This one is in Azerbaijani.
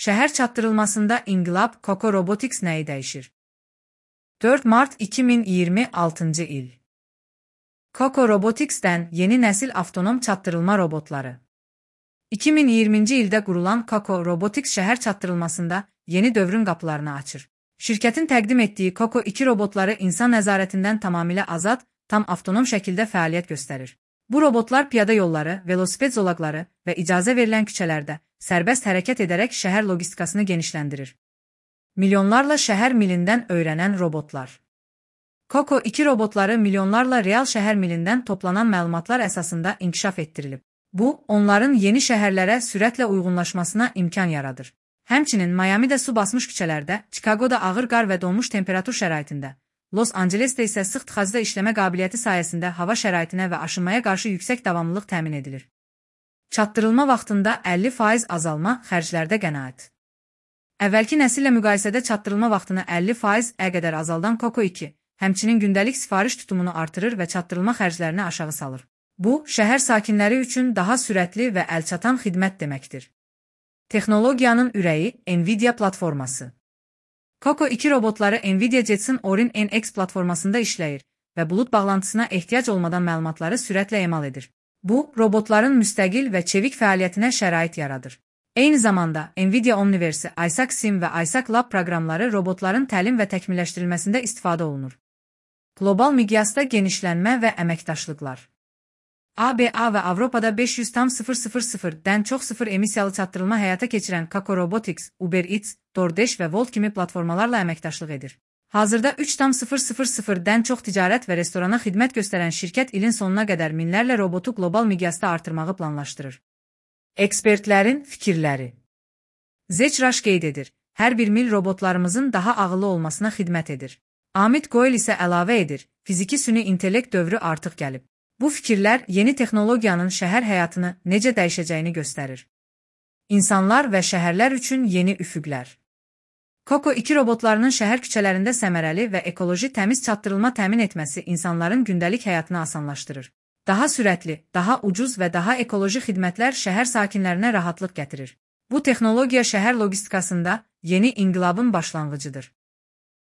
Şəhər çatdırılmasında inqilab Coco Robotics nəyi dəyişir? 4 Mart 2026 il. Coco Robotics'dən yeni nəsil avtonom çatdırılma robotları. 2020-ci ildə qurulan Coco Robotics şəhər çatdırılmasında yeni dövrün qapılarını açır. Şirkətin təqdim etdiyi Coco 2 robotları insan nəzarətindən tamamilə azad, tam avtonom şəkildə fəaliyyət göstərir. Bu robotlar piyada yolları, velosiped zolaqları və icazə verilən küçələrdə sərbəst hərəkət edərək şəhər logistikasını genişləndirir. Milyonlarla şəhər milindən öyrənən robotlar. Coco 2 robotları milyonlarla real şəhər milindən toplanan məlumatlar əsasında inkişaf etdirilib. Bu, onların yeni şəhərlərə sürətlə uyğunlaşmasına imkan yaradır. Həmçinin Miami'də su basmış küçələrdə, Chicago'da ağır qar və donmuş temperatur şəraitində, Los Angeles'də isə sıx tıxacda işləmə qabiliyyəti sayəsində hava şəraitinə və aşınmaya qarşı yüksək davamlılıq təmin edilir. Çatdırılma vaxtında 50% azalma xərclərdə qənaət. Əvvəlki nəsillə müqayisədə çatdırılma vaxtını 50% qədər azaldan Coco 2, həmçinin gündəlik sifariş tutumunu artırır və çatdırılma xərclərini aşağı salır. Bu, şəhər sakinləri üçün daha sürətli və əlçatan xidmət deməkdir. Texnologiyanın ürəyi NVIDIA platforması. Coco 2 robotları NVIDIA Jetson Orin NX platformasında işləyir və bulut bağlantısına ehtiyac olmadan məlumatları sürətlə emal edir. Bu, robotların müstəqil və çevik fəaliyyətinə şərait yaradır. Eyni zamanda, NVIDIA Omniverse, Isaac Sim və Isaac Lab proqramları robotların təlim və təkmilləşdirilməsində istifadə olunur. Qlobal miqyasda genişlənmə və əməkdaşlıqlar. ABA və Avropada 500,000-dən çox sıfır emissiyalı çatdırılma həyata keçirən Coco Robotics, Uber Eats, DoorDash və Wolt kimi platformalarla əməkdaşlıq edir. Hazırda 3,000-dən çox ticarət və restorana xidmət göstərən şirkət ilin sonuna qədər minlərlə robotu qlobal miqyasda artırmağı planlaşdırır. Ekspertlərin fikirləri. Zechrash qeyd edir, hər bir mil robotlarımızın daha ağıllı olmasına xidmət edir. Amit Goel isə əlavə edir, fiziki süni intellekt dövrü artıq gəlib. Bu fikirlər yeni texnologiyanın şəhər həyatını necə dəyişəcəyini göstərir. İnsanlar və şəhərlər üçün yeni üfüqlər. Coco 2 robotlarının şəhər küçələrində səmərəli və ekoloji təmiz çatdırılma təmin etməsi insanların gündəlik həyatını asanlaşdırır. Daha sürətli, daha ucuz və daha ekoloji xidmətlər şəhər sakinlərinə rahatlıq gətirir. Bu texnologiya şəhər logistikasında yeni inqilabın başlanğıcıdır.